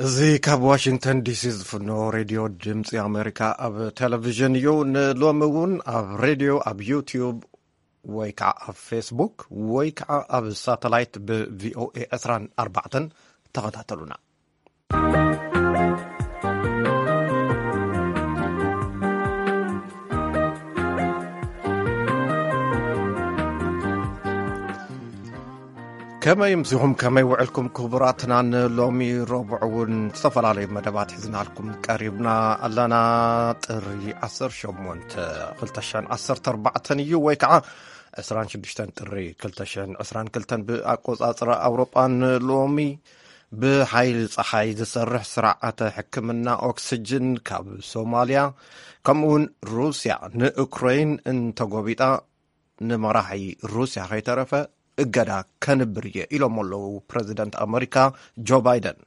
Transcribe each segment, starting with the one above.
እዚ ካብ ዋሽንግተን ዲሲ ዝፍኖ ሬድዮ ድምፂ ኣሜሪካ ኣብ ቴሌቪዥን እዩ። ንሎሚ እውን ኣብ ሬድዮ፣ ኣብ ዩቲዩብ ወይ ከዓ ኣብ ፌስቡክ ወይ ከዓ ኣብ ሳተላይት ብቪኦኤ ዕስራን ኣርባዕተን ተኸታተሉና። ከመይ ምሲኹም፣ ከመይ ውዕልኩም ክቡራትና? ንሎሚ ረቡዕ እውን ዝተፈላለዩ መደባት ሒዝናልኩም ቀሪብና ኣለና። ጥሪ ዓሰርተ ሸሞንተ ክልተ ሽሕን ዓሰርተ ኣርባዕተን እዩ፣ ወይ ከዓ ዕስራን ሽዱሽተን ጥሪ ክልተ ሽሕን ዕስራን ክልተን ብኣቆጻጽራ ኣውሮጳ። ንሎሚ ብሓይሊ ጸሓይ ዝሰርሕ ስርዓተ ሕክምና ኦክስጅን ካብ ሶማልያ፣ ከምኡውን ሩስያ ንኡክረይን እንተጎቢጣ፣ ንመራሒ ሩስያ ከይተረፈ እገዳ ከንብር እየ ኢሎም ኣለዉ ፕረዚደንት ኣመሪካ ጆ ባይደን።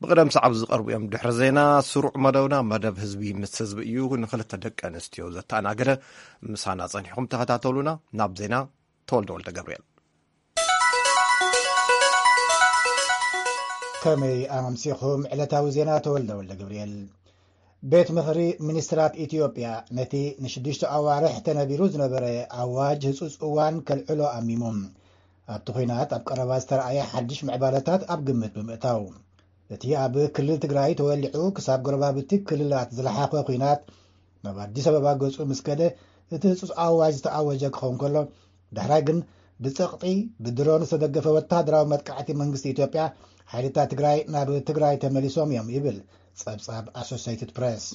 ብቕደም ሰዓብ ዝቐርቡ እዮም። ድሕሪ ዜና ስሩዕ መደብና መደብ ህዝቢ ምስ ህዝቢ እዩ። ንክልተ ደቂ ኣንስትዮ ዘተኣናገደ ምሳና ጸኒሕኩም ተኸታተሉና። ናብ ዜና ተወልደ ወልደ ገብርኤል። ከመይ ኣምሲኹም? ዕለታዊ ዜና ተወልደ ወልደ ገብርኤል። ቤት ምኽሪ ሚኒስትራት ኢትዮጵያ ነቲ ንሽዱሽተ ኣዋርሕ ተነቢሩ ዝነበረ ኣዋጅ ህጹጽ እዋን ከልዕሎ ኣሚሙ። ኣብቲ ኲናት ኣብ ቀረባ ዝተረኣየ ሓድሽ ምዕባለታት ኣብ ግምት ብምእታው፣ እቲ ኣብ ክልል ትግራይ ተወሊዑ ክሳብ ጎረባብቲ ክልላት ዝለሓኸ ኲናት ናብ ኣዲስ ኣበባ ገጹ ምስ ከደ፣ እቲ ህጹጽ ኣዋጅ ዝተኣወጀ ክኸውን ከሎ፣ ዳሕራይ ግን ብጸቕጢ ብድሮን ዝተደገፈ ወታደራዊ መጥቃዕቲ መንግስቲ ኢትዮጵያ ሓይልታት ትግራይ ናብ ትግራይ ተመሊሶም እዮም ይብል ጸብጻብ ኣሶሴይትድ ፕሬስ።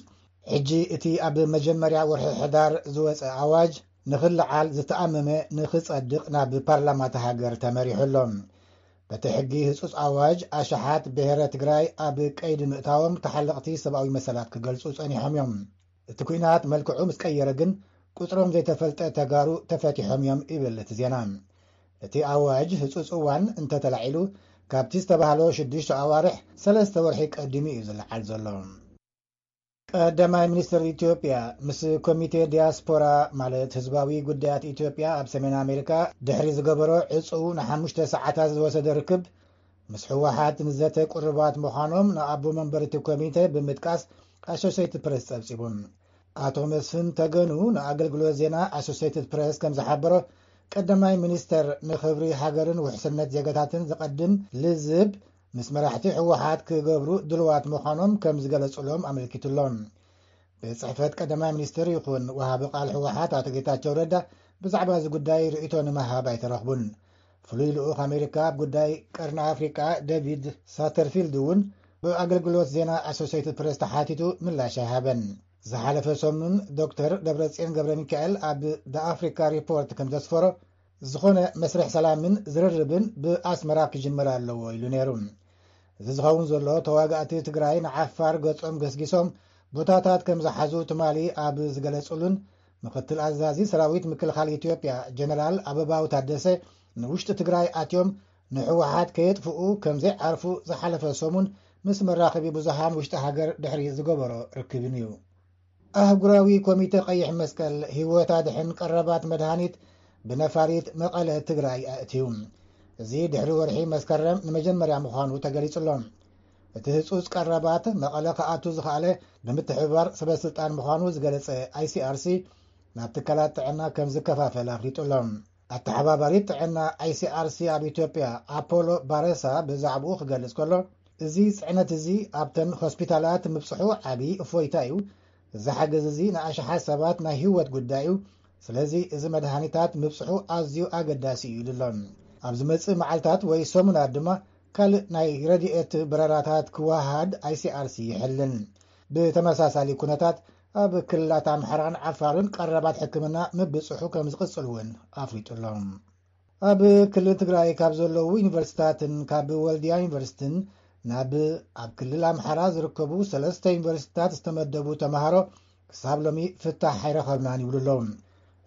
ሕጂ እቲ ኣብ መጀመርያ ወርሒ ሕዳር ዝወጸ ኣዋጅ ንኽልዓል ዝተኣመመ ንኽጸድቕ ናብ ፓርላማ እታ ሃገር ተመሪሑ ኣሎ። በቲ ሕጊ ህጹጽ ኣዋጅ ኣሽሓት ብሔረ ትግራይ ኣብ ቀይዲ ምእታዎም ተሓለቕቲ ሰብኣዊ መሰላት ክገልጹ ጸኒሖም እዮም። እቲ ኲናት መልክዑ ምስ ቀየረ ግን ቁጽሮም ዘይተፈልጠ ተጋሩ ተፈቲሖም እዮም ይብል እቲ ዜና። እቲ ኣዋጅ ህጹጽ እዋን እንተተላዒሉ ካብቲ ዝተባህሎ ሽዱሽተ ኣዋርሕ ሰለስተ ወርሒ ቀዲሙ እዩ ዝለዓል ዘሎ። ቀዳማይ ሚኒስትር ኢትዮጵያ ምስ ኮሚቴ ዲያስፖራ ማለት ህዝባዊ ጉዳያት ኢትዮጵያ ኣብ ሰሜን ኣሜሪካ ድሕሪ ዝገበሮ ዕጹው ንሓሙሽተ ሰዓታት ዝወሰደ ርክብ ምስ ህወሓት ንዘተ ቅሩባት ምዃኖም ንኣቦ መንበር እቲ ኮሚቴ ብምጥቃስ ኣሶሴይትድ ፕሬስ ጸብጺቡ። ኣቶ መስፍን ተገኑ ንኣገልግሎት ዜና ኣሶሴይትድ ፕሬስ ከም ዝሓበሮ፣ ቀዳማይ ሚኒስተር ንኽብሪ ሃገርን ውሕስነት ዜጋታትን ዝቐድም ልዝብ ምስ መራሕቲ ህወሓት ክገብሩ ድልዋት ምዃኖም ከም ዝገለጹሎም ኣመልኪቱሎም። ቤት ጽሕፈት ቀዳማይ ሚኒስትር ይኹን ወሃቢ ቃል ህወሓት ኣቶ ጌታቸው ረዳ ብዛዕባ እዚ ጉዳይ ርእይቶ ንምሃብ ኣይተረኽቡን። ፍሉይ ልኡኽ ኣሜሪካ ኣብ ጉዳይ ቀርኒ ኣፍሪቃ ዴቪድ ሳተርፊልድ እውን ብኣገልግሎት ዜና ኣሶሴይትድ ፕሬስ ተሓቲቱ ምላሽ ኣይሃበን። ዝሓለፈ ሰሙን ዶክተር ደብረጽዮን ገብረ ሚካኤል ኣብ ደ ኣፍሪካ ሪፖርት ከም ዘስፈሮ፣ ዝኾነ መስርሕ ሰላምን ዝርርብን ብኣስመራ ክጅመር ኣለዎ ኢሉ ነይሩ። እዚ ዝኸውን ዘሎ ተዋጋእቲ ትግራይ ንዓፋር ገጾም ገስጊሶም ቦታታት ከም ዝሓዙ ትማሊ ኣብ ዝገለጹሉን፣ ምክትል ኣዛዚ ሰራዊት ምክልኻል ኢትዮጵያ ጀነራል ኣበባው ታደሰ ንውሽጢ ትግራይ ኣትዮም ንህወሓት ከየጥፍኡ ከም ዘይዓርፉ ዝሓለፈ ሰሙን ምስ መራኸቢ ብዙሃን ውሽጢ ሃገር ድሕሪ ዝገበሮ ርክብን እዩ። ኣህጉራዊ ኮሚተ ቀይሕ መስቀል ህይወት ኣድሕን ቀረባት መድሃኒት ብነፋሪት መቐለ ትግራይ ኣእትዩ። እዚ ድሕሪ ወርሒ መስከረም ንመጀመርያ ምዃኑ ተገሊጹ ኣሎ። እቲ ህጹጽ ቀረባት መቐለ ክኣቱ ዝኸኣለ ብምትሕብባር ሰበ ስልጣን ምዃኑ ዝገለጸ ኣይሲኣርሲ ናብ ትካላት ጥዕና ከም ዝከፋፈል ኣፍሊጡ ኣሎ። ኣተሓባባሪት ጥዕና ኣይሲኣርሲ ኣብ ኢትዮጵያ ኣፖሎ ባረሳ ብዛዕባኡ ክገልጽ ከሎ፣ እዚ ጽዕነት እዚ ኣብተን ሆስፒታላት ምብጽሑ ዓቢ እፎይታ እዩ። እዚ ሓገዝ እዚ ንኣሽሓት ሰባት ናይ ህይወት ጉዳይ እዩ። ስለዚ እዚ መድሃኒታት ምብጽሑ ኣዝዩ ኣገዳሲ እዩ ኢሉ ኣሎ። ኣብ ዝመጽእ መዓልታት ወይ ሰሙናት ድማ ካልእ ናይ ረድኤት በረራታት ክወሃድ ኣይሲኣርሲ ይሕልን። ብተመሳሳሊ ኩነታት ኣብ ክልላት ኣምሓራን ዓፋርን ቀረባት ሕክምና ምብጽሑ ከም ዝቕጽል እውን ኣፍሊጡ ኣሎ። ኣብ ክልል ትግራይ ካብ ዘለዉ ዩኒቨርሲታትን ካብ ወልድያ ዩኒቨርሲቲን ናብ ኣብ ክልል ኣምሓራ ዝርከቡ ሰለስተ ዩኒቨርሲታት ዝተመደቡ ተምሃሮ ክሳብ ሎሚ ፍታሕ ኣይረኸብናን ይብሉ ኣለዉ።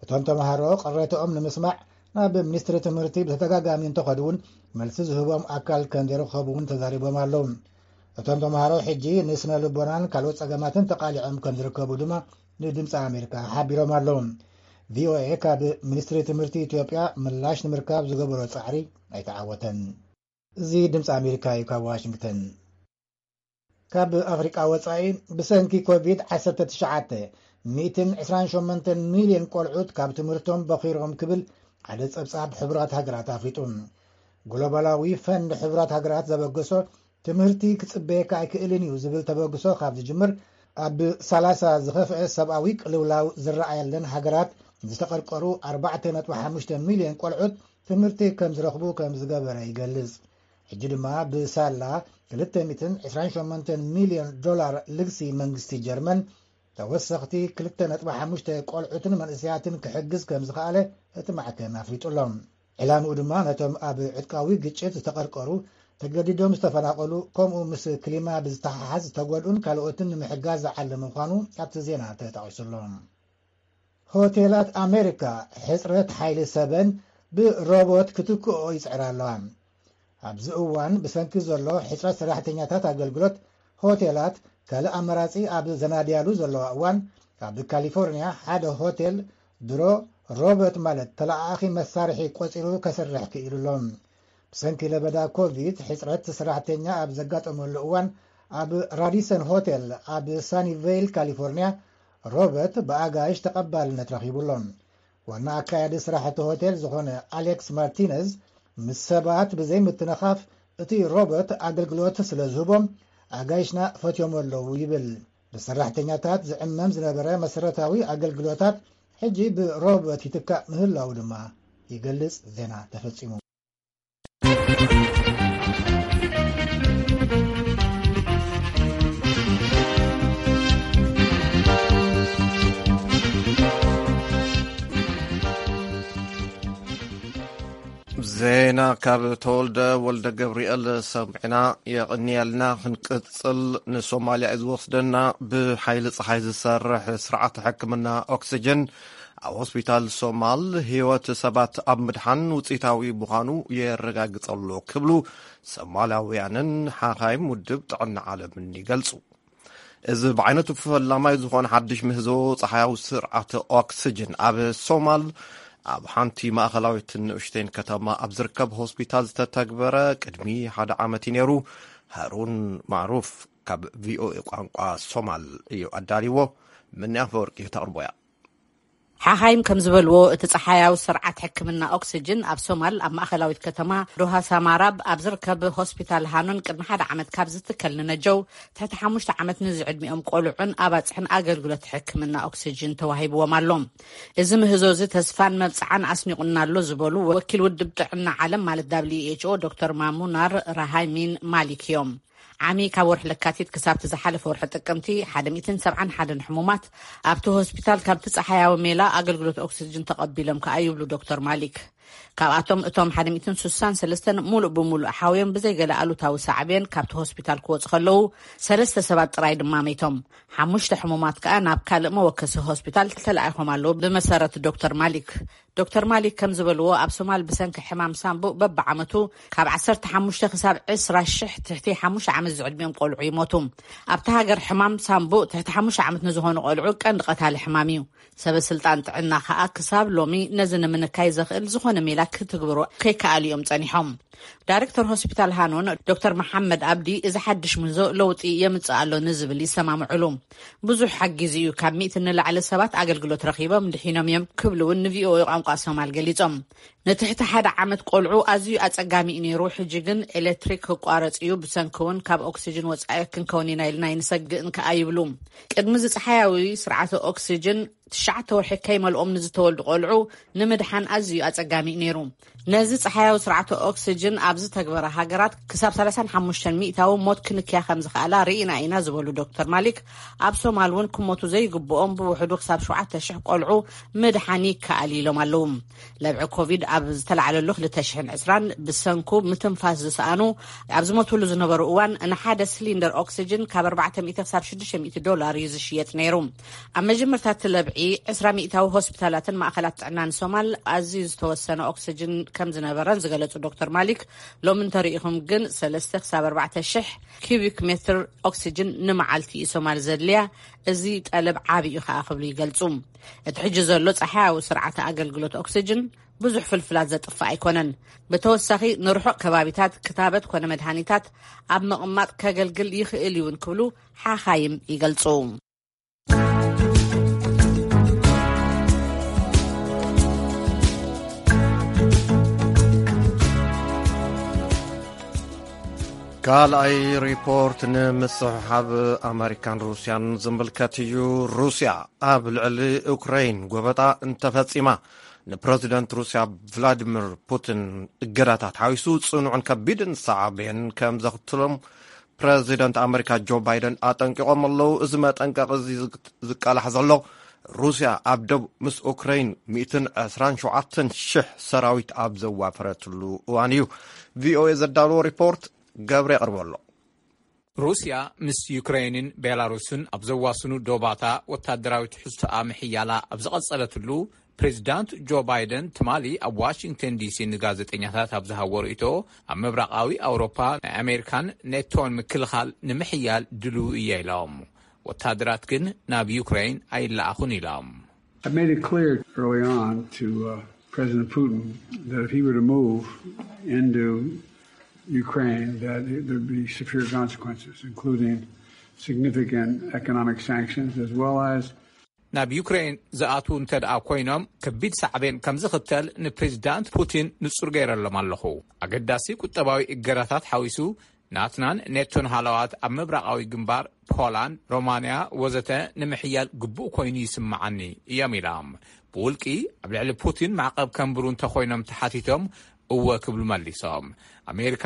እቶም ተምሃሮ ቅሬታኦም ንምስማዕ ናብ ሚኒስትሪ ትምህርቲ ብተደጋጋሚ እንተኸዱ እውን መልሲ ዝህቦም ኣካል ከም ዘይረኸቡ እውን ተዛሪቦም ኣለዉ። እቶም ተምሃሮ ሕጂ ንስነ ልቦናን ካልኦት ጸገማትን ተቓሊዖም ከም ዝርከቡ ድማ ንድምፂ ኣሜሪካ ሓቢሮም ኣለዉ። ቪኦኤ ካብ ሚኒስትሪ ትምህርቲ ኢትዮጵያ ምላሽ ንምርካብ ዝገበሮ ጻዕሪ ኣይተዓወተን። እዚ ድምፂ ኣሜሪካ እዩ ካብ ዋሽንግተን። ካብ ኣፍሪቃ ወጻኢ፣ ብሰንኪ ኮቪድ ዓሰርተ ትሽዓተ ሚእትን ዕስራን ሸሞንተን ሚልዮን ቆልዑት ካብ ትምህርቶም በኺሮም ክብል ሓደ ጸብጻብ ሕቡራት ሃገራት ኣፍሊጡ። ግሎባላዊ ፈንድ ሕቡራት ሃገራት ዘበገሶ ትምህርቲ ክጽበየካ ኣይክእልን እዩ ዝብል ተበግሶ ካብ ዝጅምር፣ ኣብ ሰላሳ ዝኸፍአ ሰብኣዊ ቅልውላው ዝረኣየለን ሃገራት ዝተቐርቀሩ ኣርባዕተ ነጥቢ ሓሙሽተ ሚልዮን ቆልዑት ትምህርቲ ከም ዝረኽቡ ከም ዝገበረ ይገልጽ። ሕጂ ድማ ብሳላ ክልተ ሚእትን ዕስራን ሸሞንተን ሚልዮን ዶላር ልግሲ መንግስቲ ጀርመን ተወሰኽቲ ክልተ ነጥቢ ሓሙሽተ ቆልዑትን መንእሰያትን ክሕግዝ ከም ዝኸኣለ እቲ ማዕከን ኣፍሊጡ ኣሎ። ዕላምኡ ድማ ነቶም ኣብ ዕጥቃዊ ግጭት ዝተቐርቀሩ፣ ተገዲዶም ዝተፈናቐሉ፣ ከምኡ ምስ ክሊማ ብዝተሓሓዝ ዝተጎድኡን ካልኦትን ንምሕጋዝ ዝዓለመ ምዃኑ ኣብቲ ዜና ተጠቒሱ ኣሎ። ሆቴላት ኣሜሪካ ሕጽረት ሓይሊ ሰበን ብሮቦት ክትክኦ ይጽዕራ ኣለዋ። ኣብዚ እዋን ብሰንኪ ዘሎ ሕጽረት ሰራሕተኛታት ኣገልግሎት፣ ሆቴላት ካልእ ኣማራጺ ኣብ ዘናድያሉ ዘለዋ እዋን፣ ኣብ ካሊፎርኒያ ሓደ ሆቴል ድሮ ሮቦት ማለት ተለኣኣኺ መሳርሒ ቆጺሩ ከስርሕ ክኢሉ ኣሎ። ብሰንኪ ለበዳ ኮቪድ ሕጽረት ሰራሕተኛ ኣብ ዘጋጠመሉ እዋን፣ ኣብ ራዲሰን ሆቴል ኣብ ሳኒቬይል ካሊፎርኒያ ሮቦት ብኣጋይሽ ተቐባልነት ረኺቡ ኣሎ። ዋና ኣካያዲ ስራሕ እቲ ሆቴል ዝኾነ ኣሌክስ ማርቲነዝ፣ ምስ ሰባት ብዘይ ምትንኻፍ እቲ ሮቦት ኣገልግሎት ስለ ዝህቦም፣ ኣጋይሽና ፈትዮም ኣለዉ ይብል። ብሰራሕተኛታት ዝዕመም ዝነበረ መሰረታዊ ኣገልግሎታት ሕጂ ብሮቦት ይትካእ ምህላዉ ድማ ይገልጽ። ዜና ተፈጺሙ። ዜና ካብ ተወልደ ወልደ ገብርኤል ሰምዕና። የቕንየልና። ክንቅጽል፣ ንሶማልያ እዩ ዝወስደና። ብሓይሊ ጸሓይ ዝሰርሕ ስርዓት ሕክምና ኦክስጅን ኣብ ሆስፒታል ሶማል ህይወት ሰባት ኣብ ምድሓን ውጽኢታዊ ምዃኑ የረጋግጸሉ ክብሉ ሶማላውያንን ሓኻይም ውድብ ጥዕና ዓለምን ይገልጹ። እዚ ብዓይነቱ ፈላማይ ዝኾነ ሓድሽ ምህዞ ጸሓያዊ ስርዓት ኦክስጅን ኣብ ሶማል፣ ኣብ ሓንቲ ማእኸላዊትን ንእሽተይን ከተማ ኣብ ዝርከብ ሆስፒታል ዝተተግበረ ቅድሚ ሓደ ዓመት እዩ ነይሩ። ሃሩን ማዕሩፍ ካብ ቪኦኤ ቋንቋ ሶማል እዩ ኣዳልዎ። ምንያ ፈወርቂ ተቕርቦያ። ሓኻይም ከም ዝበልዎ፣ እቲ ጸሓያዊ ስርዓት ሕክምና ኦክስጅን ኣብ ሶማል፣ ኣብ ማእኸላዊት ከተማ ዶሃ ሳማራብ ኣብ ዝርከብ ሆስፒታል ሃኖን ቅድሚ ሓደ ዓመት ካብ ዝትከል ንነጀው ትሕቲ ሓሙሽተ ዓመት ንዝዕድሚኦም ቆልዑን ኣባጽሕን ኣገልግሎት ሕክምና ኦክስጅን ተዋሂብዎም ኣሎ። እዚ ምህዞ እዚ ተስፋን መብጽዓን ኣስኒቑና ኣሎ ዝበሉ ወኪል ውድብ ጥዕና ዓለም ማለት ዳብሊው ኤች ኦ ዶክተር ማሙናር ራሃይሚን ማሊክ እዮም። ዓሚ ካብ ወርሒ ለካቲት ክሳብቲ ዝሓለፈ ወርሒ ጥቅምቲ፣ ሓደ ሚእትን ሰብዓን ሓደን ሕሙማት ኣብቲ ሆስፒታል ካብቲ ጸሓያዊ ሜላ ኣገልግሎት ኦክስጅን ተቐቢሎም ከኣ ይብሉ ዶክተር ማሊክ። ካብኣቶም እቶም ሓደ ሚእትን ስሳን ሰለስተን ሙሉእ ብሙሉእ ሓውዮም ብዘይገለ ኣሉታዊ ሳዕቤን ካብቲ ሆስፒታል ክወጹ ከለዉ፣ ሰለስተ ሰባት ጥራይ ድማ መይቶም። ሓሙሽተ ሕሙማት ከኣ ናብ ካልእ መወከሲ ሆስፒታል ተለኣይኾም ኣለዉ። ብመሰረት ዶክተር ማሊክ፣ ዶክተር ማሊክ ከም ዝበልዎ፣ ኣብ ሶማል ብሰንኪ ሕማም ሳምቡእ በብዓመቱ ካብ ዓሰርተ ሓሙሽተ ክሳብ ዕስራ ሽሕ ትሕቲ ሓሙሽተ ዓመት ዝዕድሚኦም ቆልዑ ይሞቱ። ኣብታ ሃገር ሕማም ሳምቡእ ትሕቲ ሓሙሽተ ዓመት ንዝኾኑ ቆልዑ ቀንዲ ቀታሊ ሕማም እዩ። ሰበ ስልጣን ጥዕና ከኣ ክሳብ ሎሚ ነዚ ንምንካይ ዘኽእል ዝኾነ ሜላ ክትግብሩ ከይከኣሉ እዮም ጸኒሖም። ዳይሬክተር ሆስፒታል ሃኖን ዶክተር መሓመድ ኣብዲ፣ እዚ ሓድሽ ምህዞ ለውጢ የምጽእ ኣሎ ንዝብል ይሰማምዕሉ። ብዙሕ ሓጊዙ እዩ። ካብ ሚእቲ ንላዕሊ ሰባት ኣገልግሎት ረኺቦም ድሒኖም እዮም ክብሉ እውን ንቪኦኤ ቋንቋ ሶማል ገሊጾም። ንትሕቲ ሓደ ዓመት ቆልዑ ኣዝዩ ኣጸጋሚ እዩ ነይሩ። ሕጂ ግን ኤሌክትሪክ ክቋረጽ እዩ። ብሰንኪ እውን ካብ ኦክሲጅን ወጻኢ ክንከውን ኢና ኢልና ኣይንሰግእን ከኣ ይብሉ። ቅድሚ እዚ ጸሓያዊ ስርዓተ ኦክሲጅን ትሽዓተ ወርሒ ከይመልኦም ንዝተወልዱ ቆልዑ ንምድሓን ኣዝዩ ኣጸጋሚ እዩ ነይሩ። ነዚ ጸሓያዊ ስርዓተ ኦክሲጅን ኣብ ዝተግበረ ሃገራት ክሳብ ሰላሳን ሓሙሽተን ሚእታዊ ሞት ክንክያ ከም ዝኸኣላ ርኢና ኢና ዝበሉ ዶክተር ማሊክ፣ ኣብ ሶማል እውን ክሞቱ ዘይግብኦም ብውሕዱ ክሳብ ሸውዓተ ሽሕ ቆልዑ ምድሓን ይከኣል ኢሎም ኣለዉ። ለብዒ ኮቪድ ኣብ ዝተላዕለሉ ክልተ ሽሕን ዕስራን ብሰንኩ ምትንፋስ ዝሰኣኑ ኣብ ዝሞትሉ ዝነበሩ እዋን ንሓደ ሲሊንደር ኦክሲጅን ካብ ኣርባዕተ ሚእቲ ክሳብ ሽዱሽተ ሚእቲ ዶላር እዩ ዝሽየጥ ነይሩ። ኣብ መጀመርታ እቲ ለብዒ ዕስራ ሚእታዊ ሆስፒታላትን ማእኸላት ጥዕናን ሶማል ኣዝዩ ዝተወሰነ ኦክሲጅን ከም ዝነበረን ዝገለጹ ዶክተር ማሊክ፣ ሎሚ እንተሪኢኹም ግን ሰለስተ ክሳብ ኣርባዕተ ሽሕ ኪዩቢክ ሜትር ኦክሲጅን ንመዓልቲ እዩ ሶማል ዘድልያ። እዚ ጠለብ ዓቢ እዩ ከኣ ክብሉ ይገልጹ። እቲ ሕጂ ዘሎ ጸሓያዊ ስርዓተ ኣገልግሎት ኦክሲጅን ብዙሕ ፍልፍላት ዘጥፍእ ኣይኮነን። ብተወሳኺ ንርሑቕ ከባቢታት ክታበት ኮነ መድሃኒታት ኣብ ምቕማጥ ከገልግል ይኽእል እውን ክብሉ ሓኻይም ይገልጹ። ካልኣይ ሪፖርት ንምስሕሓብ ኣመሪካን ሩስያን ዝምልከት እዩ። ሩስያ ኣብ ልዕሊ ዩክሬን ጎበጣ እንተፈጺማ፣ ንፕረዚደንት ሩስያ ቭላዲሚር ፑቲን እገዳታት ሓዊሱ ጽኑዕን ከቢድን ሳዕቤን ከም ዘኽትሎም ፕረዚደንት ኣመሪካ ጆ ባይደን ኣጠንቂቖም ኣለዉ። እዚ መጠንቀቒ እዚ ዝቃላሕ ዘሎ፣ ሩስያ ኣብ ደቡብ ምስ ኡክራይን ሚእትን ዕስራን ሸውዓተን ሽሕ ሰራዊት ኣብ ዘዋፈረትሉ እዋን እዩ። ቪኦኤ ዘዳለዎ ሪፖርት ገብረ የቕርቦ ኣሎ። ሩስያ ምስ ዩክሬንን ቤላሩስን ኣብ ዘዋስኑ ዶባታ ወታደራዊ ትሕዝቶኣ ምሕያላ ኣብ ዝቐጸለትሉ፣ ፕሬዚዳንት ጆ ባይደን ትማሊ ኣብ ዋሽንግተን ዲሲ ንጋዜጠኛታት ኣብ ዝሃቦ ርእይቶ፣ ኣብ ምብራቓዊ ኣውሮፓ ናይ ኣሜሪካን ኔቶን ምክልኻል ንምሕያል ድልው እየ ኢሎም። ወታደራት ግን ናብ ዩክሬን ኣይለኣኹን ኢሎም። I made it clear early on to uh, President Putin that if he were to move into Ukraine, that it, there'd be severe consequences, including significant economic sanctions, as well as ናብ ዩክሬን ዝኣትዉ እንተ ደኣ ኮይኖም፣ ከቢድ ሳዕቤን ከም ዝኽተል ንፕሬዚዳንት ፑቲን ንጹር ገይረሎም ኣለኹ። ኣገዳሲ ቁጠባዊ እገዳታት ሓዊሱ፣ ናትናን ኔቶን ሃለዋት ኣብ ምብራቓዊ ግንባር፣ ፖላንድ፣ ሮማንያ ወዘተ ንምሕያል ግቡእ ኮይኑ ይስምዓኒ እዮም ኢሎም። ብውልቂ ኣብ ልዕሊ ፑቲን ማዕቐብ ከንብሩ እንተኾይኖም ተሓቲቶም፣ እወ ክብሉ መሊሶም። ኣሜሪካ፣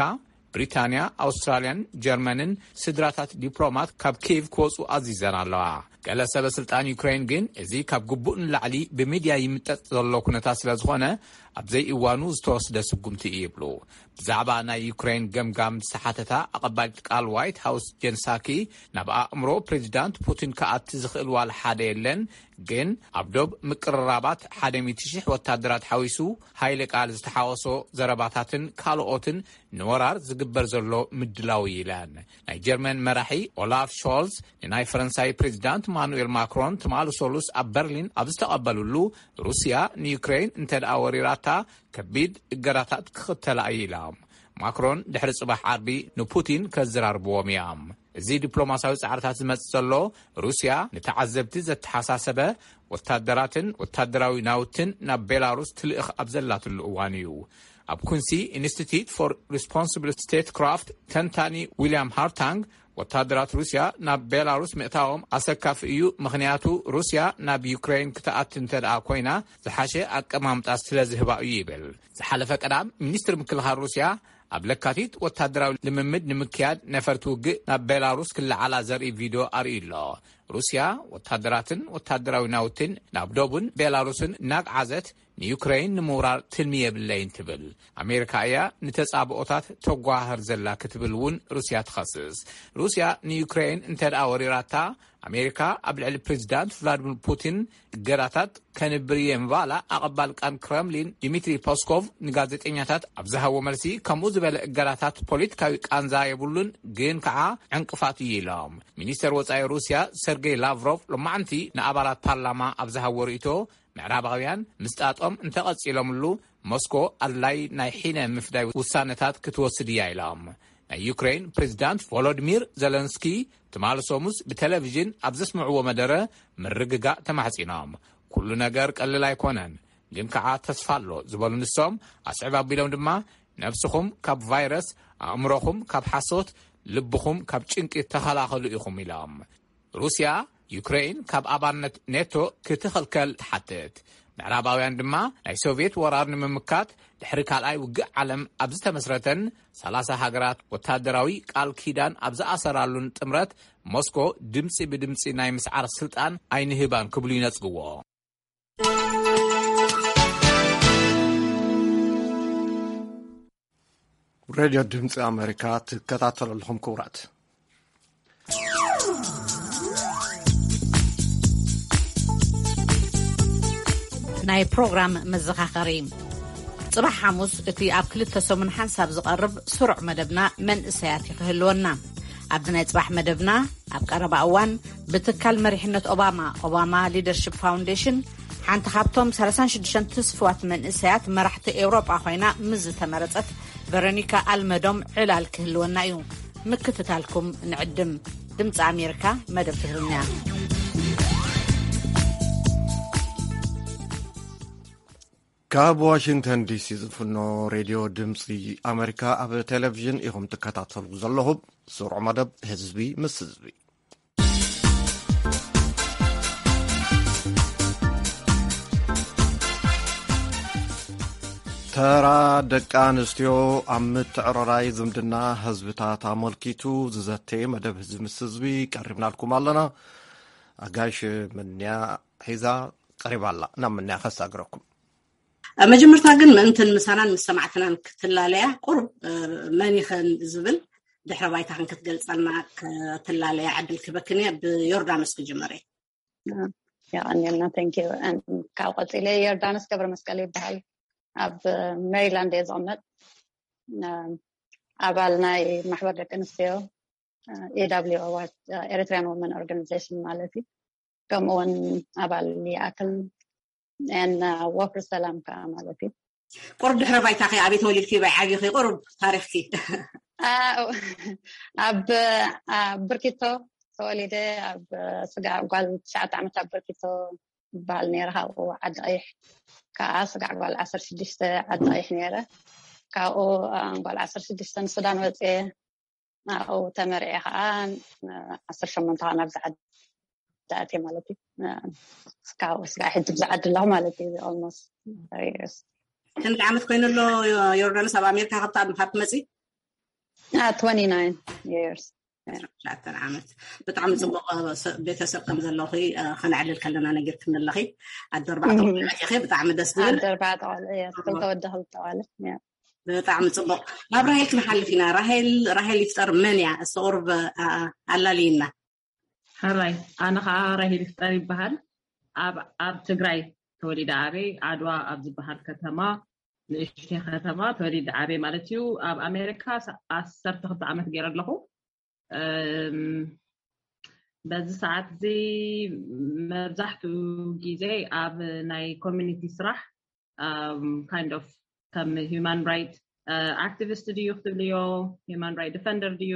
ብሪታንያ፣ ኣውስትራልያን ጀርመንን ስድራታት ዲፕሎማት ካብ ኪየቭ ክወጹ ኣዚዘን ኣለዋ። ገለ ሰበ ስልጣን ዩክሬን ግን፣ እዚ ካብ ግቡእ ንላዕሊ ብሚድያ ይምጠጥ ዘሎ ኩነታት ስለ ዝኾነ፣ ኣብ ዘይእዋኑ ዝተወስደ ስጉምቲ እዩ ይብሉ። ብዛዕባ ናይ ዩክሬን ገምጋም ዝተሓተታ ኣቐባሊት ቃል ዋይት ሃውስ ጀን ሳኪ፣ ናብ ኣእምሮ ፕሬዚዳንት ፑቲን ክኣቲ ዝኽእል ዋላ ሓደ የለን፣ ግን ኣብ ዶብ ምቅርራባት ሓደ ሚእቲ ሽሕ ወታደራት ሓዊሱ፣ ሓይሊ ቃል ዝተሓወሶ ዘረባታትን ካልኦትን ንወራር ዝግበር ዘሎ ምድላው እዩ ኢለን። ናይ ጀርመን መራሒ ኦላፍ ሾልዝ ንናይ ፈረንሳይ ፕሬዚዳንት ማኑኤል ማክሮን ትማሊ ሰሉስ ኣብ በርሊን ኣብ ዝተቐበሉሉ፣ ሩስያ ንዩክሬን እንተ ደኣ ወሪራታ፣ ከቢድ እገዳታት ክኽተላ እዩ ኢሎም። ማክሮን ድሕሪ ጽባሕ ዓርቢ ንፑቲን ከዘራርብዎም እዮም። እዚ ዲፕሎማስያዊ ጻዕርታት ዝመጽእ ዘሎ፣ ሩስያ ንተዓዘብቲ ዘተሓሳሰበ ወታደራትን ወታደራዊ ናውትን ናብ ቤላሩስ ትልእኽ ኣብ ዘላትሉ እዋን እዩ። ኣብ ኩንሲ ኢንስቲትዩት ፎር ሪስፖንስብል ስቴት ክራፍት ተንታኒ ዊልያም ሃርታንግ፣ ወታደራት ሩስያ ናብ ቤላሩስ ምእታዎም ኣሰካፊ እዩ፣ ምኽንያቱ ሩስያ ናብ ዩክሬን ክትኣቲ እንተ ደኣ ኮይና፣ ዝሓሸ ኣቀማምጣ ስለ ዝህባ እዩ ይብል። ዝሓለፈ ቀዳም፣ ሚኒስትሪ ምክልኻል ሩስያ ኣብ ለካቲት ወታደራዊ ልምምድ ንምክያድ ነፈርቲ ውግእ ናብ ቤላሩስ ክለዓላ ዘርኢ ቪድዮ ኣርእዩ ኣሎ። ሩስያ ወታደራትን ወታደራዊ ናውትን ናብ ዶቡን ቤላሩስን እናግዓዘት፣ ንዩክሬን ንምውራር ትልሚ የብለይን ትብል። ኣሜሪካ እያ ንተጻብኦታት ተጓሃህር ዘላ ክትብል እውን ሩስያ ትኸስስ። ሩስያ ንዩክሬን እንተ ደኣ ወሪራታ፣ ኣሜሪካ ኣብ ልዕሊ ፕሬዚዳንት ቭላድሚር ፑቲን እገዳታት ከንብር እየ ምባላ ኣቐባል ቃን ክረምሊን ዲሚትሪ ፖስኮቭ ንጋዜጠኛታት ኣብ ዝሃቦ መልሲ፣ ከምኡ ዝበለ እገዳታት ፖለቲካዊ ቃንዛ የብሉን፣ ግን ከዓ ዕንቅፋት እዩ ኢሎም። ሚኒስተር ወጻኢ ሩስያ ሰርጌይ ላቭሮቭ ሎማዕንቲ ንኣባላት ፓርላማ ኣብ ዝሃቦ ርእይቶ፣ ምዕራባውያን ምስጣጦም እንተቐጺሎምሉ፣ ሞስኮ ኣድላይ ናይ ሒነ ምፍዳይ ውሳነታት ክትወስድ እያ ኢሎም። ናይ ዩክሬን ፕሬዚዳንት ቮሎዲሚር ዘለንስኪ ትማሊ ሰሙስ ብቴሌቪዥን ኣብ ዘስምዕዎ መደረ፣ ምርግጋእ ተማሕጺኖም። ኩሉ ነገር ቀልል ኣይኮነን፣ ግን ከዓ ተስፋ ኣሎ ዝበሉ ንሶም፣ ኣስዕብ ኣቢሎም ድማ፣ ነብስኹም ካብ ቫይረስ፣ ኣእምሮኹም ካብ ሓሶት፣ ልብኹም ካብ ጭንቂ ተኸላኸሉ ኢኹም ኢሎም። ሩስያ፣ ዩክሬን ካብ ኣባልነት ኔቶ ክትኽልከል ትሓትት። ምዕራባውያን ድማ፣ ናይ ሶቭየት ወራር ንምምካት፣ ድሕሪ ካልኣይ ውግእ ዓለም ኣብ ዝተመስረተን፣ ሰላሳ ሃገራት ወታደራዊ ቃል ኪዳን ኣብ ዝኣሰራሉን ጥምረት፣ ሞስኮ ድምጺ ብድምጺ ናይ ምስዓር ስልጣን ኣይንህባን ክብሉ ይነጽግዎ። ሬድዮ ድምፂ ኣሜሪካ ትከታተሉ ኣለኹም ክቡራት። ናይ ፕሮግራም መዘኻኸሪ። ጽባሕ ሓሙስ እቲ ኣብ ክልተ ሰሙን ሓንሳብ ዝቐርብ ስሩዕ መደብና መንእሰያት እዩ ክህልወና። ኣብዚ ናይ ጽባሕ መደብና ኣብ ቀረባ እዋን ብትካል መሪሕነት ኦባማ፣ ኦባማ ሊደርሺፕ ፋውንዴሽን፣ ሓንቲ ካብቶም ሰላሳን ሽዱሽተን ትስፍዋት መንእሰያት መራሕቲ ኤውሮጳ ኮይና ምስ ዝተመረጸት ቨሮኒካ ኣልመዶም ዕላል ክህልወና እዩ። ምክትታልኩም ንዕድም። ድምፂ ኣሜሪካ፣ መደብ ትግርኛ። ካብ ዋሽንግተን ዲሲ ዝፍኖ ሬድዮ ድምፂ ኣሜሪካ ኣብ ቴሌቪዥን ኢኹም ትከታተሉ ዘለኹም። ስሩዕ መደብ ህዝቢ ምስ ህዝቢ። ተራ ደቂ ኣንስትዮ ኣብ ምትዕርራይ ዝምድና ህዝብታት ኣመልኪቱ ዝዘተየ መደብ ህዝቢ ምስ ህዝቢ ቀሪብናልኩም ኣለና። ኣጋሽ ምንያ ሒዛ ቀሪባ ኣላ። ናብ ምንያ ከሳግረኩም። ኣብ መጀመርታ ግን ምእንትን ምሳናን ምስ ሰማዕትናን ክትላለያ ቁሩብ መን ይኸን ዝብል ድሕረ ባይታኽን ክትገልጸልና ክትላለያ ዕድል ክበክን እየ። ብዮርዳኖስ ክጅምር እየ። የቐንየልና። Thank you። ካብ ቀፂለ ዮርዳኖስ ገብረ መስቀል ይበሃል። ኣብ ሜሪላንድ እየ ዝቕመጥ። ኣባል ናይ ማሕበር ደቂ ኣንስትዮ ኤዳብሊዩ ኤሪትሪያን ወመን ኦርጋናይዜሽን ማለት እዩ። ከምኡ እውን ኣባል ይኣክል ን ወፍሪ ሰላም ከዓ ማለት እዩ። ቁሩብ ድሕረ ባይታኺ፣ ኣበይ ተወሊድኪ፣ ኣበይ ዓብኺ፣ ቁሩብ ታሪኽኪ። ኣብ ብርኪቶ ተወሊደ፣ ኣብ ስጋ ጓል ትሽዓተ ዓመት ኣብ ብርኪቶ ዝበሃል ነይረ። ካብኡ ዓዲ ቀይሕ ከዓ ስጋ ጓል ዓሰርተ ሽዱሽተ ዓዲ ቀይሕ ነይረ። ካብኡ ጓል ዓሰርተ ሽዱሽተ ንሱዳን ወፅየ። ኣብኡ ተመርዐ ከዓ ዓሰርተ ሸሞንተ ከዓ ናብዚ ዓዲ ኣትየ ማለት እዩ። እስካብ ስጋ ሕጂ ብዚ ዓዲ ኣለኹ ማለት እዩ። Almost three years። ክንዲ ዓመት ኮይኑ ኣሎ ዮርዳኖስ ኣብ ኣሜሪካ ካብቲ ካብ ትመፂ? Twenty nine years። ትሽዓተ ዓመት። ብጣዕሚ ፅቡቅ ቤተሰብ ከም ዘለኹ ከነዕልል ከለና ነጊርክኒ ኣለኺ። ኣዶ ኣርባዕተ ቆልዑ ኢኺ። ብጣዕሚ ደስ ዝብል። ኣዶ ኣርባዕተ ቆልዑ እየ። ክልተ ወዲ ክልተ ጓል። ብጣዕሚ ፅቡቅ። ናብ ራሄል ክንሓልፍ ኢና። ራሄል ራሄል ይፍጠር መን እያ? እስቲ ቁሩብ ኣላልይና። ሕራይ፣ ኣነ ከዓ ራሄል ይፍጠር ይበሃል። ኣብ ኣብ ትግራይ ተወሊደ ዓብየ፣ ዓድዋ ኣብ ዝበሃል ከተማ፣ ንእሽተይ ከተማ ተወሊደ ዓብየ ማለት እዩ። ኣብ ኣሜሪካ ዓሰርተ ክልተ ዓመት ገይረ ኣለኹ። በዚ ሰዓት እዚ መብዛሕትኡ ግዜ ኣብ ናይ ኮሚኒቲ ስራሕ፣ kind of ከም human right activist ድዩ ክትብልዮ፣ human right defender ድዩ፣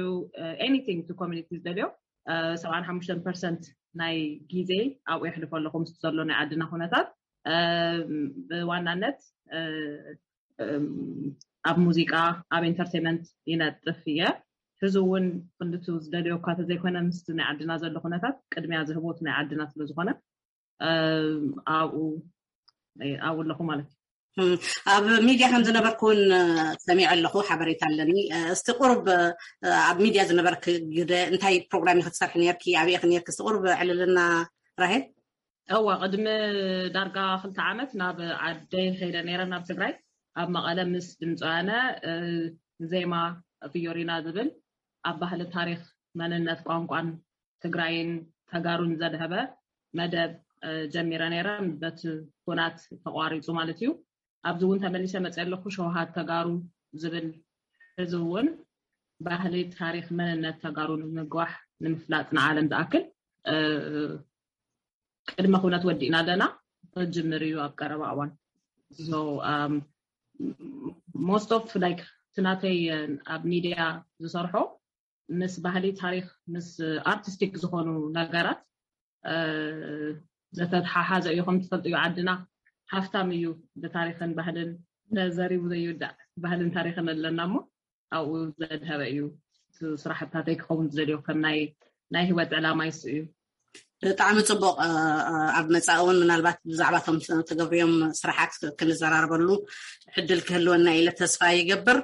anything to community ዝደልዮ፣ ሰብዓን ሓሙሽተን ፐርሰንት ናይ ግዜ ኣብኡ የሕልፎ ኣለኹ። ምስቲ ዘሎ ናይ ዓድና ኩነታት፣ ብዋናነት ኣብ ሙዚቃ፣ ኣብ ኢንተርቴንመንት ይነጥፍ እየ። ሕዚ እውን ክንድቱ ዝደልዮ እኳ ተዘይኮነ፣ ምስቲ ናይ ዓድና ዘሎ ኩነታት ቅድሚያ ዝህቦት ናይ ዓድና ስለዝኾነ ኣብኡ ኣብኡ ኣለኹ ማለት እዩ። ኣብ ሚድያ ከም ዝነበርኩ እውን ሰሚዐ ኣለኹ፣ ሓበሬታ ኣለኒ። እስቲ ቁሩብ ኣብ ሚድያ ዝነበርክ ግደ እንታይ ፕሮግራም ኢኺ ትሰርሒ ነርኪ? ኣበይ ኢኺ ነርኪ? እስቲ ቁሩብ ዕልልና ራሄል። እዋ፣ ቅድሚ ዳርጋ ክልተ ዓመት ናብ ዓደይ ከይደ ነይረ፣ ናብ ትግራይ። ኣብ መቐለ ምስ ድምፂ ወያነ ዜማ ፊዮሪና ዝብል ኣብ ባህሊ፣ ታሪኽ፣ መንነት፣ ቋንቋን ትግራይን ተጋሩን ዘድሀበ መደብ ጀሚረ ነይረ። በቲ ኩናት ተቋሪፁ ማለት እዩ። ኣብዚ እውን ተመሊሰ መፅእ ኣለኩ። ሸውሃት ተጋሩ ዝብል፣ እዚ እውን ባህሊ፣ ታሪኽ፣ መንነት ተጋሩ ንምግዋሕ፣ ንምፍላጥ፣ ንዓለም ዝኣክል ቅድመ ኩነት ወዲእና ኣለና። ክጅምር እዩ ኣብ ቀረባ እዋን። So most of like እቲ ናተይ ኣብ ሚድያ ዝሰርሖ ምስ ባህሊ፣ ታሪኽ፣ ምስ ኣርቲስቲክ ዝኾኑ ነገራት ዝተተሓሓዘ እዩ። ከም ትፈልጥዮ ዓድና ሃፍታም እዩ ብታሪኽን ባህልን፣ ተዘሪቡ ዘይውዳእ ባህልን ታሪኽን ኣለና እሞ ኣብኡ ዘድሀበ እዩ። ስራሕታተይ ክኸውን ዝደልዮ ከም ናይ ናይ ህይወት ዕላማ ይሱ እዩ። ብጣዕሚ ፅቡቅ። ኣብ መፃኢ እውን ምናልባት ብዛዕባቶም ትገብርዮም ስራሓት ክንዘራረበሉ ዕድል ክህልወና ኢለ ተስፋ ይገብር።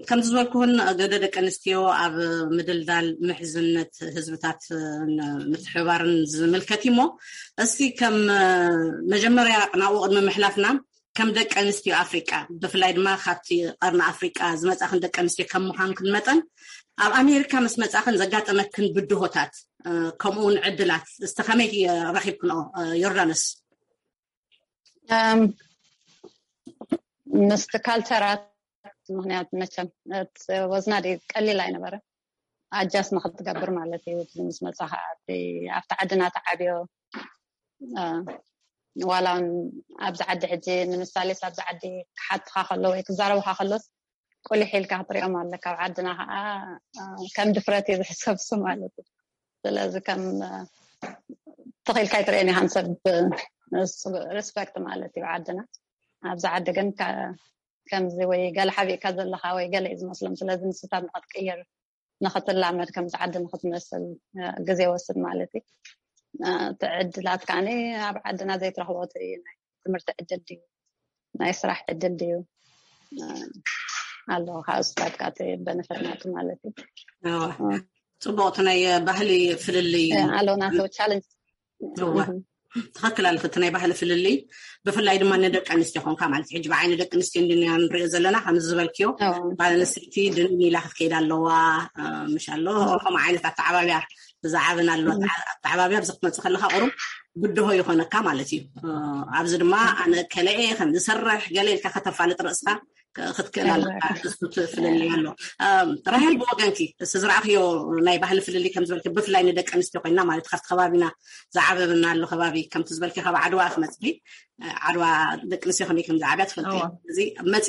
ከምዚ ዝበልኩውን ግደ ደቂ ኣንስትዮ ኣብ ምድልዳል ምሕዝነት ህዝብታት ምትሕብባርን ዝምልከት እዩ። እሞ እስቲ ከም መጀመርያ ናብኡ ቅድሚ ምሕላፍና ከም ደቂ ኣንስትዮ ኣፍሪቃ ብፍላይ ድማ ካብቲ ቀርኒ ኣፍሪቃ ዝመፃኽን ደቂ ኣንስትዮ ከም ምዃንክን መጠን ኣብ ኣሜሪካ ምስ መፃኽን ዘጋጠመክን ብድሆታት ከምኡ እውን ዕድላት እስቲ ከመይ ረኺብክንኦ? ዮርዳኖስ። ምስቲ ካልቸራት ምክንያት መቸም ወዝና ቀሊል ኣይነበረ ኣጃስ ንክትገብር ማለት እዩ። ምስ መፃኻ ኣብቲ ዓድና ተዓብዮ ዋላ እውን ኣብዚ ዓዲ ሕጂ ንምሳሌስ ኣብዚ ዓዲ ክሓትኻ ከሎ ወይ ክዛረቡኻ ከሎስ ቁሊሕ ኢልካ ክትሪኦም ኣለካ። ኣብ ዓድና ከዓ ከም ድፍረት እዩ ዝሕሰብ እሱ ማለት እዩ። ስለዚ ከም ተኺልካ ይትርእን ኢኻን ሰብ ሪስፐክት ማለት እዩ ዓድና። ኣብዚ ዓዲ ግን ከምዚ ወይ ገለ ሓቢእካ ዘለኻ ወይ ገለ እዩ ዝመስሎም። ስለዚ ንስታት ንክትቅይር ንክትላመድ ከምዚ ዓዲ ንክትመስል ግዜ ወስድ ማለት እዩ። ትዕድላት ከዓኒ ኣብ ዓድና ዘይትረኽቦ እዩ። ናይ ትምህርቲ ዕድል ድዩ ናይ ስራሕ ዕድል ድዩ ኣሎ ካብ ስታትካ እቲ በነፈት ናቱ ማለት እዩ። ፅቡቅ ናይ ባህሊ ፍልልይ ኣለውና ቻለንጅ ትኽክል ኣለክ እቲ ናይ ባህሊ ፍልልይ ብፍላይ ድማ ንደቂ ኣንስትዮ ኮንካ ማለት ሕጂ ብዓይኒ ደቂ ኣንስትዮ እንድና ንሪኦ ዘለና ከምዚ ዝበልክዮ ጓል ኣንስተይቲ ድንን ኢላ ክትከይድ ኣለዋ ምሽ ኣሎ ከምኡ ዓይነት ኣተዓባብያ ብዛዕብን ኣሎ ኣተዓባብያ ብዚ ክትመፅእ ከለካ ቁሩብ ብድሆ ይኾነካ ማለት እዩ። ኣብዚ ድማ ኣነ ከለኤ ከም ዝሰርሕ ገለ ኢልካ ከተፋልጥ ርእስካ ክትክእል ኣለካ። እሱ ፍልልይ ኣሎ። ራሄል ብወገንኪ እዚ ዝረኣኽዮ ናይ ባህሊ ፍልልይ ከም ዝበልኪ ብፍላይ ንደቂ ኣንስትዮ ኮይና ማለት ካብቲ ከባቢና ዝዓበብና ኣሎ ከባቢ ከምቲ ዝበልኪ ካብ ዓድዋ ክመፅኪ ዓድዋ ደቂ ኣንስትዮ ከመይ ከም ዝዓብያ ትፈልጢ። እዚ መፂ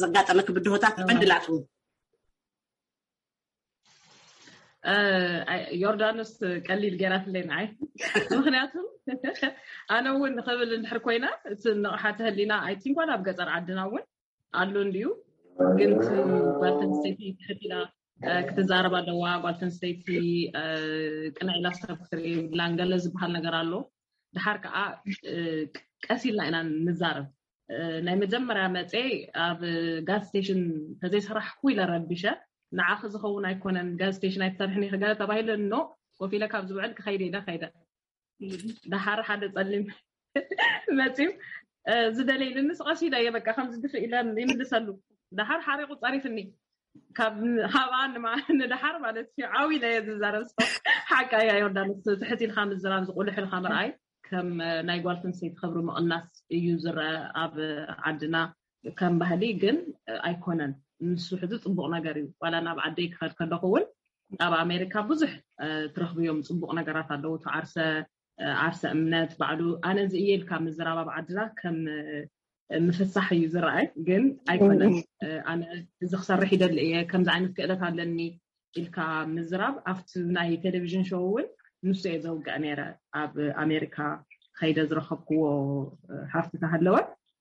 ዘጋጠመኪ ብድሆታት ዕድላት እውን ዮርዳኖስ ቀሊል ገይራትለይ ንዓይ። ምክንያቱ ኣነ እውን ንክብል እንድሕር ኮይና እቲ ንቕሓተ ህሊና ኣይቲንኳን ኣብ ገፀር ዓድና እውን ኣሎ እንድዩ። ግን ጓልተንስተይቲ ትሕት ኢላ ክትዛረብ ኣለዋ። ጓልተንስተይቲ ቅንዕ ኢላ ሰብ ክትርኢ የብላን ገለ ዝበሃል ነገር ኣሎ። ድሓር ከዓ ቀስ ኢልና ኢና ንዛረብ። ናይ መጀመርያ መፀ ኣብ ጋዝ ስቴሽን ተዘይሰራሕኩ ኢለ ረቢሸ። ንዓኺ ዝኸውን ኣይኮነን ጋዝ ስቴሽን ኣይትሰርሕን ኢኺ ገለ ተባሂለ ኖ ኮፍ ኢለ ካብ ዝውዕል ክኸይደ ኢለ ከይደ። ደሓር ሓደ ፀሊም መፅዩ ዝደለይልንስ ቀስ ኢለ እየ በቃ ከምዚ ድፍእ ኢለ ይምልሰሉ። ደሓር ሓሪቑ ፀሪፍኒ። ካብ ንደሓር ማለት እዩ ዓው ኢለ እየ ዝዛረብ። ሓቃ እያ ዮርዳኖስ ትሕት ኢልካ ምዝራብ ዝቁልሕ ኢልካ ምርኣይ ከም ናይ ጓል ተንሰይቲ ክብሪ ምቕናስ እዩ ዝረአ ኣብ ዓድና ከም ባህሊ ግን ኣይኮነን። ንሱ ሕዚ ፅቡቅ ነገር እዩ። ዋላ ናብ ዓደይ ክኸድ ከለኹ እውን ኣብ ኣሜሪካ ብዙሕ ትረኽብዮም ፅቡቅ ነገራት ኣለዉ። ዓርሰ ዓርሰ እምነት ባዕሉ ኣነ እዚ እየ ኢልካ ምዝራብ ኣብ ዓድና ከም ምፍሳሕ እዩ ዝረኣይ። ግን ኣይኮነን። ኣነ እዚ ክሰርሕ ይደሊ እየ፣ ከምዚ ዓይነት ክእለት ኣለኒ ኢልካ ምዝራብ ኣብቲ ናይ ቴሌቪዥን ሾው እውን ንሱ እየ ዘውግዕ ነይረ። ኣብ ኣሜሪካ ከይደ ዝረኸብክዎ ሃፍቲ ተሃለወ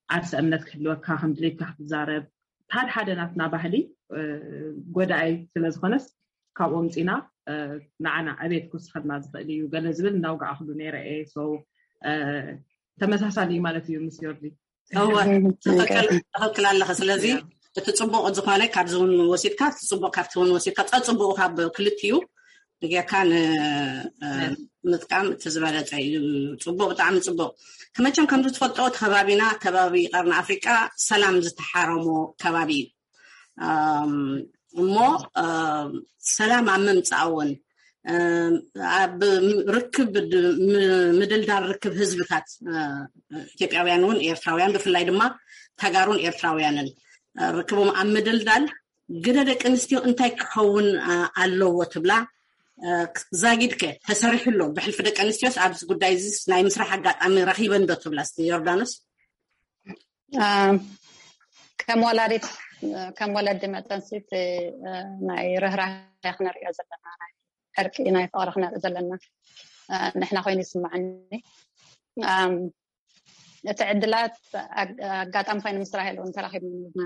ዓርሰ እምነት ክህልወካ ከም ድሌትካ ክትዛረብ ሓደ ሓደ ናትና ባህሊ ጎዳኣይ ስለዝኾነስ ካብኦም ፂና ንዓና ዕቤት ክውስኸልና ዝኽእል እዩ ገለ ዝብል እናውጋዕክሉ ነይረ እየ። ተመሳሳሊ እዩ ማለት እዩ ምስ ዮርዲ። ትኽክል ኣለኸ። ስለዚ እቲ ፅቡቅ ዝኾነ ካብዚ እውን ወሲድካ እቲ ፅቡቅ ካብቲ እውን ወሲድካ ፀፅቡቁ ካብ ክልቲኡ ጌርካ ንምጥቃም እቲ ዝበለፀ እዩ። ፅቡቅ ብጣዕሚ ፅቡቅ። ክመቸም ከምዚ ትፈልጦ እቲ ከባቢና ከባቢ ቀርኒ ኣፍሪቃ ሰላም ዝተሓረሞ ከባቢ እዩ። እሞ ሰላም ኣብ ምምፃእ እውን ኣብ ርክብ ምድልዳል ርክብ ህዝብታት ኢትዮጵያውያን እውን ኤርትራውያን ብፍላይ ድማ ተጋሩን ኤርትራውያንን ርክቦም ኣብ ምድልዳል ግደ ደቂ ኣንስትዮ እንታይ ክኸውን ኣለዎ ትብላ? ዛጊድከ ተሰሪሑ ኣሎ ብሕልፊ ደቂ ኣንስትዮስ ኣብዚ ጉዳይ እዚ ናይ ምስራሕ ኣጋጣሚ ረኺበን ዶ ትብላ? እስቲ ዮርዳኖስ። ከም ወላዲት ከም ወለዲ መጠን ሲ ናይ ርህራሄ ክነርእዮ ዘለና ናይ ዕርቂ ናይ ፍቅሪ ክነርኢ ዘለና ንሕና ኮይኑ ይስማዓኒ። እቲ ዕድላት ኣጋጣሚ ኮይኑ ምስራሕ የለውን ተራኺብና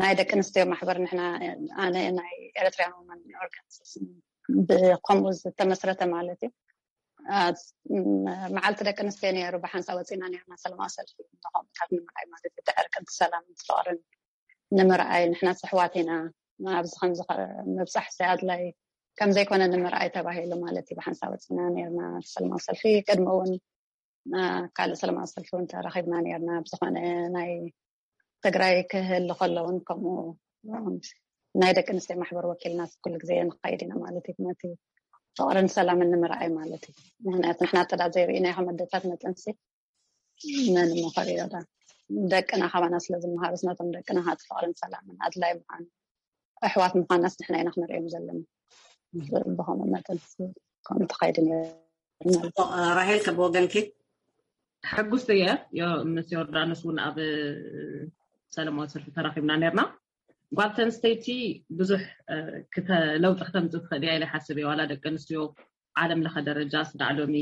ናይ ደቂ ኣንስትዮ ማሕበር ንሕና ኣነ ናይ ኤሪትሪያን ወመን ኦርጋናይዜሽን ብከምኡ ዝተመስረተ ማለት እዩ። መዓልቲ ደቂ ኣንስትዮ ነይሩ ብሓንሳ ወፂና ነርና ሰለማዊ ሰልፊ ንኸምኡታት ንምርኣይ ማለት እዩ። ዕርቅን ሰላምን ፍቅርን ንምርኣይ ንሕና ኣሕዋት ኢና ኣብዚ ከምዚ ምብፃሕ ኣድላይ ከምዘይኮነ ንምርኣይ ተባሂሉ ማለት እዩ። ብሓንሳ ወፂና ነርና ሰለማዊ ሰልፊ ቅድሚ እውን ካልእ ሰለማዊ ሰልፊ እውን ተራኺብና ነርና ብዝኾነ ናይ ትግራይ ክህል ከለውን ከምኡ ናይ ደቂ ኣንስትዮ ማሕበር ወኪልና ኩሉ ግዜ ንኸይድ ኢና ማለት እዩ። ነቲ ፍቅርን ሰላምን ንምርኣይ ማለት እዩ። ምክንያቱ ንሕና ጥዳ ዘይርኢና ከም ኣደታት መጠንሲ መን እሞ ከሪኦ ዳ ደቅና ካባና ስለ ዝመሃሩስ ነቶም ደቅና ሃቲ ፍቅርን ሰላምን ኣድላይ ምዃኑ ኣሕዋት ምዃናስ ንሕና ኢና ክነርእዮም ዘለና። ብኸምኡ መጠን ከምኡ ተኸይድ ነርና። ራሄል ከብወገንኪ ሕጉስቲ እየ። ምስ ዮርዳኖስ እውን ኣብ ሰለማዊ ሰልፊ ተራኺብና ነርና። ጓል ተንስተይቲ ብዙሕ ለውጢ ክተምፅእ ትኽእል እያ ኢለ ሓስብ እየ። ዋላ ደቂ ኣንስትዮ ዓለም ለኸ ደረጃ ስዳዕ ሎሚ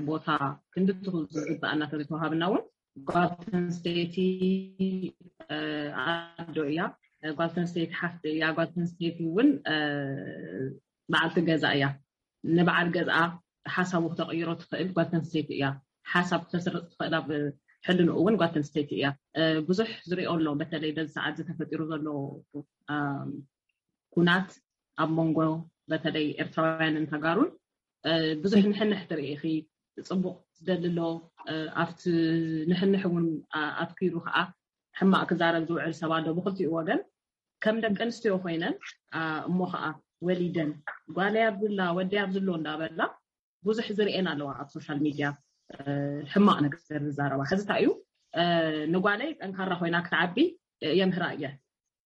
ቦታ ክንድትኹ ዝግብኣና ተዝተዋሃብና እውን ጓል ተንስተይቲ ኣዶ እያ። ጓል ተንስተይቲ ሓፍቲ እያ። ጓል ተንስተይቲ እውን በዓልቲ ገዛ እያ። ንበዓል ገዝኣ ሓሳቡ ክተቕይሮ ትኽእል ጓል ተንስተይቲ እያ። ሓሳብ ክተስርፅ ትኽእል ኣብ ሕልንኡ እውን ጓል ተንስተይቲ እያ። ብዙሕ ዝሪኦ ኣሎ። በተለይ በዚ ሰዓት ዝተፈጢሩ ዘሎ ኩናት ኣብ መንጎ በተለይ ኤርትራውያንን ተጋሩን ብዙሕ ንሕንሕ ትርኢ ኢኺ። ፅቡቕ ዝደሊ ኣሎ። ኣብቲ ንሕንሕ እውን ኣትኪሩ ከዓ ሕማቕ ክዛረብ ዝውዕል ሰብ ኣሎ ብክልቲኡ ወገን። ከም ደቂ ኣንስትዮ ኮይነን እሞ ከዓ ወሊደን ጓለይ ኣብዝላ ወደይ ኣብዝሎ እንዳበላ ብዙሕ ዝርእየን ኣለዋ ኣብ ሶሻል ሚድያ። ሕማቕ ነገር ዝዛረባ ሕዚ እንታይ እዩ? ንጓለይ ጠንካራ ኮይና ክትዓቢ የምህራ እየ።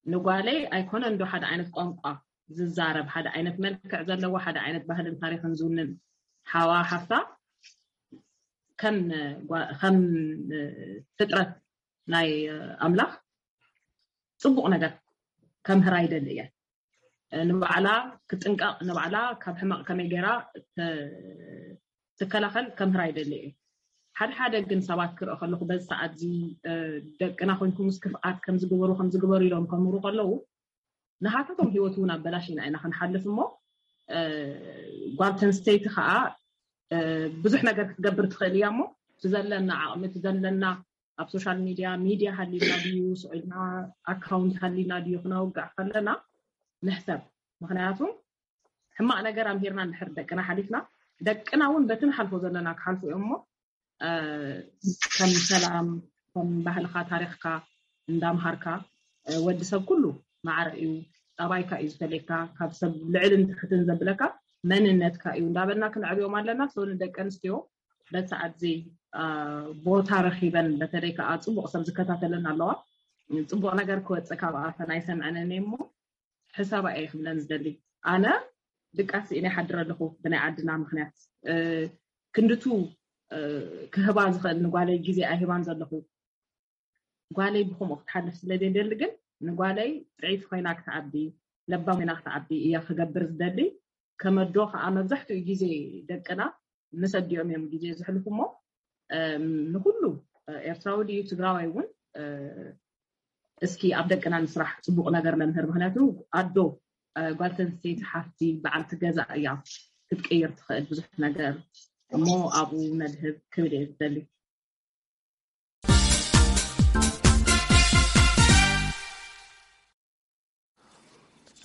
ንጓለይ ኣይኮነን ዶ ሓደ ዓይነት ቋንቋ ዝዛረብ፣ ሓደ ዓይነት መልክዕ ዘለዎ፣ ሓደ ዓይነት ባህልን ታሪኽን ዝውንን ሓዋ ሓፍታ ከም ፍጥረት ናይ ኣምላኽ ፅቡቕ ነገር ከምህራ ይደሊ እየ። ንባዕላ ክትጥንቀቕ፣ ንባዕላ ካብ ሕማቕ ከመይ ገይራ ትከላኸል ከምህራ ይደሊ እየ። ሓደ ሓደ ግን ሰባት ክርኢ ከለኹ በዚ ሰዓት እዚ ደቅና ኮንኩምስ ክፍኣት ከምዝግበሩ ከምዝግበሩ ኢሎም ከምህሩ ከለዉ ንሃታቶም ህይወት እውን ኣበላሽና ኢና ክንሓልፍ እሞ ጓል ተንስተይቲ ከዓ ብዙሕ ነገር ክትገብር ትኽእል እያ እሞ እቲ ዘለና ዓቕሚ እቲ ዘለና ኣብ ሶሻል ሚድያ ሚድያ ሃሊና ድዩ ስዒልና ኣካውንት ሃሊና ድዩ ክነውግዕ ከለና ንሕሰብ። ምክንያቱ ሕማቕ ነገር ኣምሂርና እንድሕር ደቅና ሓሊፍና ደቅና እውን በቲ ንሓልፎ ዘለና ክሓልፉ እዮም እሞ ከም ሰላም ከም ባህልካ ታሪክካ እንዳምሃርካ ወዲ ሰብ ኩሉ ማዕረ እዩ። ጠባይካ እዩ ዝፈለየካ ካብ ሰብ ልዕልን ትሕትን ዘብለካ መንነትካ እዩ እንዳበልና ክንዕብዮም ኣለና። ሰው ንደቂ ኣንስትዮ በቲ ሰዓት እዚ ቦታ ረኪበን በተለይ ከዓ ፅቡቅ ሰብ ዝከታተለን ኣለዋ። ፅቡቅ ነገር ክወፅእ ካብ ኣፈን ኣይሰምዐንን እየ እሞ ሕሳባ እየ ክብለን ዝደሊ። ኣነ ድቃስ እየ ሓድረ ኣለኹ ብናይ ዓድና ምክንያት ክንድቱ ክህባ ዝኽእል ንጓለይ ግዜ ኣይህባን ዘለኹ። ጓለይ ብከምኡ ክትሓልፍ ስለ ዘይደሊ ግን ንጓለይ ጥዕይቲ ኮይና ክትዓቢ ለባም ኮይና ክትዓቢ እያ ክገብር ዝደሊ። ከመዶ ከዓ መብዛሕትኡ ግዜ ደቅና ምስ ኣዲኦም እዮም ግዜ ዝሕልፉ እሞ ንኩሉ ኤርትራዊ ድዩ ትግራዋይ እውን እስኪ ኣብ ደቅና ንስራሕ ፅቡቅ ነገር ነምህር። ምክንያቱ ኣዶ ጓል ተንስተይቲ ሓፍቲ በዓልቲ ገዛ እያ ክትቅይር ትኽእል ብዙሕ ነገር እሞ ኣብኡ ነድህብ ክብል እየ ዝደሊ።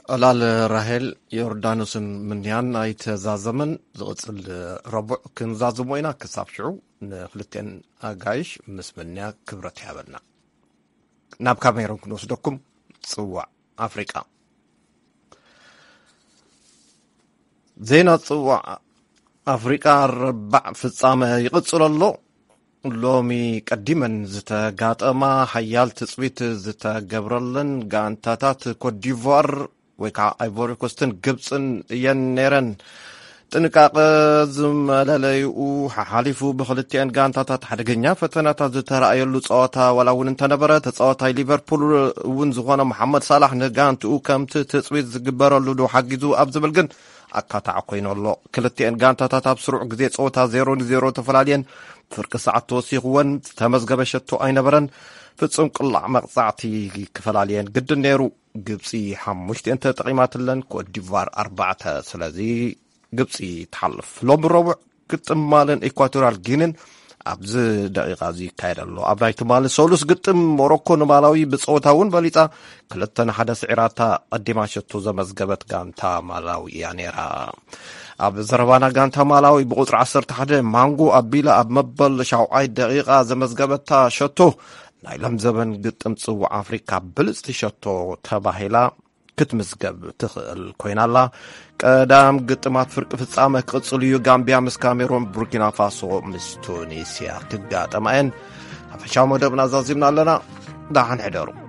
ዕላል ራሄል ዮርዳኖስን ምንያን ኣይተዛዘመን። ዝቕፅል ረቡዕ ክንዛዝሞ ኢና። ክሳብ ሽዑ ንክልቴን ኣጋይሽ ምስ ምንያ ክብረት ይሃበልና። ናብ ካሜሮን ክንወስደኩም። ፅዋዕ ኣፍሪቃ። ዜና ፅዋዕ ኣፍሪቃ ኣርባዕ ፍፃመ ይቕፅል ኣሎ። ሎሚ ቀዲመን ዝተጋጠማ ሓያል ትፅቢት ዝተገብረለን ጋንታታት ኮትዲቯር ወይ ከዓ ኣይቮሪኮስትን ግብፅን እየን ነይረን። ጥንቃቐ ዝመለለይኡ ሓሓሊፉ ብክልቲኤን ጋንታታት ሓደገኛ ፈተናታት ዝተረኣየሉ ፀዋታ ዋላ እውን እንተነበረ ተፃዋታይ ሊቨርፑል እውን ዝኾነ መሓመድ ሳላሕ ንጋንትኡ ከምቲ ትፅቢት ዝግበረሉ ዶ ሓጊዙ ኣብ ዝብል ግን ኣካታዕ ኮይኑ ኣሎ። ክልቲኤን ጋንታታት ኣብ ስሩዕ ግዜ ፀወታ ዜሮ ንዜሮ ተፈላልየን ፍርቂ ሰዓት ተወሲኽወን ዝተመዝገበ ሸቶ ኣይነበረን። ፍጹም ቅላዕ መቕጻዕቲ ክፈላልየን ግድን ነይሩ። ግብጺ ሓሙሽቲኤን ተጠቒማትለን፣ ኮትዲቫር ኣርባዕተ። ስለዚ ግብጺ ትሓልፍ። ሎሚ ረቡዕ ግጥም ማልን ኢኳቶሪያል ጊኒን ኣብዚ ደቂቃ እዚ ይካየድ ኣሎ። ኣብ ናይ ትማሊ ሰሉስ ግጥም ሞሮኮ ንማላዊ ብጸወታ እውን በሊጻ ክልተ ንሓደ ስዒራታ ቀዲማ ሸቶ ዘመዝገበት ጋንታ ማላዊ እያ ነይራ። ኣብ ዘረባና ጋንታ ማላዊ ብቁጽሪ ዓሰርተ ሓደ ማንጎ ኣቢላ ኣብ መበል ሻውዓይ ደቂቃ ዘመዝገበታ ሸቶ ናይ ሎም ዘበን ግጥም ጽዋዕ ኣፍሪካ ብልጽቲ ሸቶ ተባሂላ ክትምዝገብ ትኽእል ኮይና ኣላ። ቀዳም ግጥማት ፍርቂ ፍጻመ ክቕጽል እዩ። ጋምቢያ ምስ ካሜሮን፣ ቡርኪና ፋሶ ምስ ቱኒስያ ክጋጠማ እየን። ሓፈሻዊ መደብና ዛዚምና ኣለና። ደሓን ሕደሩ።